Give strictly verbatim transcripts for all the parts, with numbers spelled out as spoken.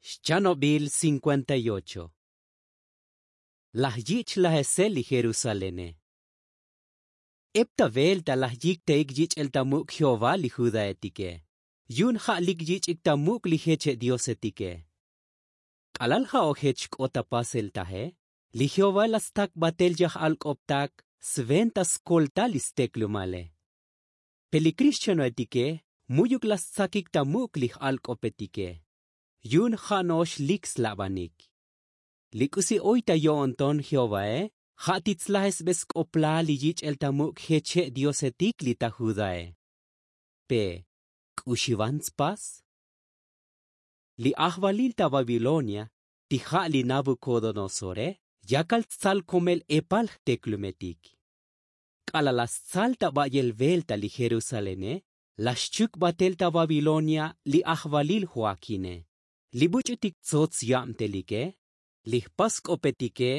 Xchanobil cincuenta y ocho. Laj yich' lajesel li jerusalene. Ep ta velta laj yiktaik yich'el ta muk' jehová li judaetike, yu'un ja' lik yich'ik ta muk' li jeche' diosetike. K'alal ja' ojech k'ot ta pasel taje, li jehovae la stak batel yaj alk'optak sventa skoltal li steklumale. Pe li krixchanoetike mu'yuk la stsakik ta muk' li j'alk'opetike, yu'un ja' no'ox lik slabanik. Li k'usi oy ta yo'onton jehovae ja' ti tslajesbe sk'oplal li yich'el ta muk' jeche' diosetik li ta judae. Pe k'u xivan tspas? Li ajvalil ta babilonia, ti ja' li nabukodonosore, yakal tsal komel epal jteklumetik. K'alal la stsal ta ba'yel velta li jerusalene, la xchuk batel ta babilonia li ajvalil joakine. Li buch'utik tsots yabtelike, li jpas sk'opetike,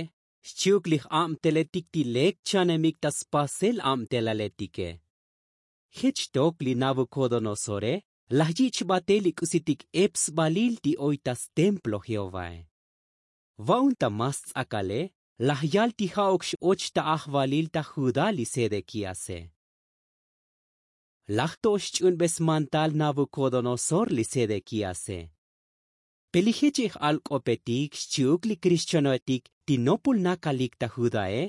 xchi'uk li j'abteletik ti lek chanemik ta spasel abtelaletike. Jech tok li nabukodonosore laj yich' batel li k'usitik ep sbalil ti oy ta stemplo jehovae. Va'un ta mas ts'akale laj yal ti ja'uk x'och ta ajvalil ta judá li sedekíase. Laj to xch'unbe smantal nabukodonosor li sedekíase. Pe li jeche' j'alk'opetik xchi'uk li krixchanoetik ti nopol nakalik ta judae,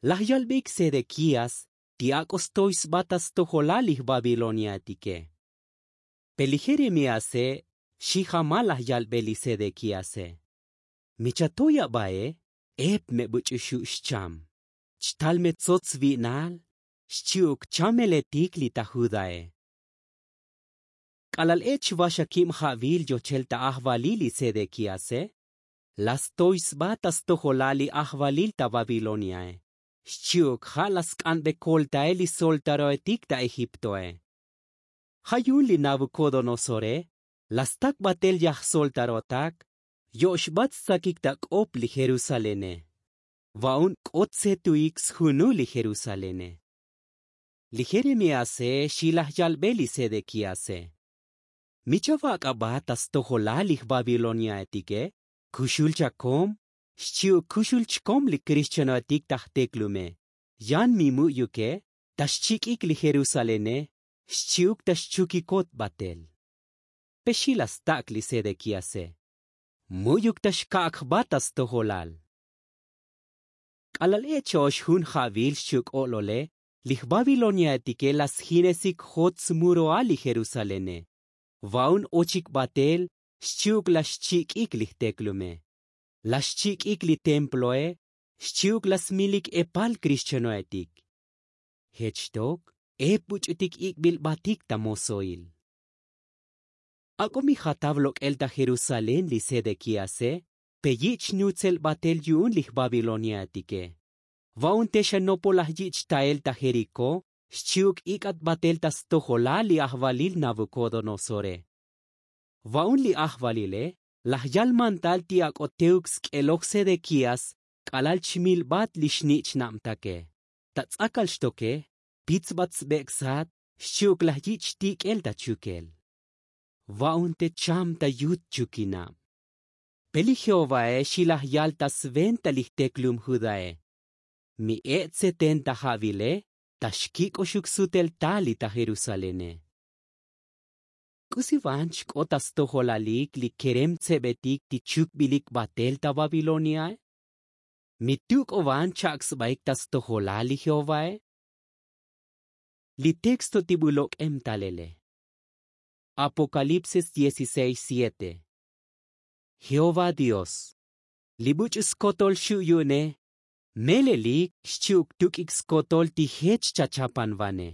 laj yalbeik sedekías ti ak'o stoy sba ta stojolal li jbabiloniaetike. Pe li jeremíase xi jamal laj yalbe li sedekíase. Mi chatoy abae, ep me buch'u xu' xcham, chtal me tsots vi'nal, xchi'uk chameletik li ta judae. K'alal ech vaxakib ja'vil yochel ta ajvalil li sedekíase, la stoy sba ta stojolal li ajvalil ta babiloniae, xchi'uk ja' la sk'anbe koltael li soltaroetik ta egiptoe. Ja' yu'un li nabukodonosore la stak batel yajsoltarotak, yo'xbat stsakik ta k'op li jerusalene. Va'un k'ot tsetuik sjunul li jerusalene. Li jeremíase xi laj yalbe li sedekíase. Mi chavak' aba ta stojolal li jbabiloniaetike, kuxul chakom, xchi'uk kuxul chkom li krixchanoetik ta jteklume. Yan mi mu'yuke ta xchik'ik li jerusalene, xchi'uk ta xchukikot batel. Pe xi la stak' li sedekíase. Mu'yuk ta xkak' jba ta stojolal. K'alal ech ox jun ja'vil xchi'uk o'lole, li jbabiloniaetike la sjinesik jot smuroal li jerusalene. Va'un ochik batel, xchi'uk la xchik'ik li jteklume. La xchik'ik li temploe, xchi'uk la smilik epal krixchanoetik. Jech tok ep buch'utik ik'bil batik ta mosoil. Ak'o mi jatav lok'el ta jerusalén li sedekíase, pe yich' nutzel batel yu'un li jbabiloniaetike. Va'un te xa nopol laj yich' tael ta jerikó, xchi'uk ik'at batel ta stojolal li ajvalil nabukodonosore. Va'un li ajvalile laj yal mantal ti ak'o teuk sk'eloj sedekías, k'alal chmilbat li xnich'nabtake. Ta ts'akal xtoke, pitsbat sbek' sat, xchi'uk laj yich' tik'el ta chukel. Va'un te cham ta yut chukinab. Pe li jehovae xi laj yal ta sventa li jteklum judae. Mi e' tseten ta ja'vile, ta xkik'oxuk sutel tal li ta jerusalene. K'usi van chk'ot ta stojolalik li kerem tsebetik ti chukbilik batel ta babiloniae? Mi tu k'o van chak' sbaik ta stojolal li jehovae? Li texto ti bu lok'em talele. Apocalipsis dieciséis siete. Jehová dios, li buch'u skotol xu' yu'une, melelik xchi'uk tuk'ik skotol ti jech chachapanvane.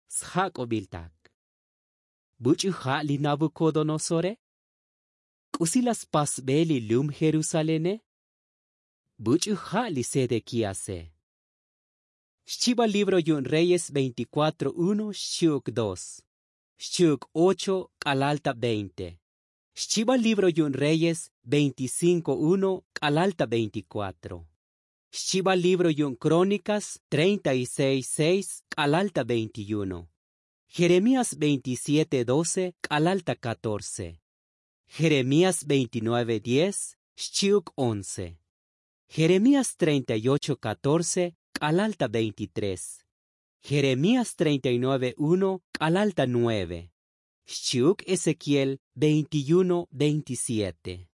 Sjak'obiltak. Buch'u ja' li nabukodonosore? K'usi la spasbe li lum jerusalene? Buch'u ja' li sedekíase? Xchiba libro yu'un reyes veinticuatro uno xchi'uk dos, xchi'uk ocho k'alal ta veinte. Xchiba libro yu'un reyes veinticinco uno k'alal ta veinticuatro. Xchiba libro yu'un krónikas treinta y seis seis k'alal ta veintiuno. Jeremías veintisiete doce k'alal ta katorce. Jeremías veintinueve diez xchi'uk once. Jeremías treinta y ocho catorce k'alal ta veintitrés. Jeremías treinta y nueve uno k'alal ta nueve. Xchi'uk ezequiel veintiuno veintisiete.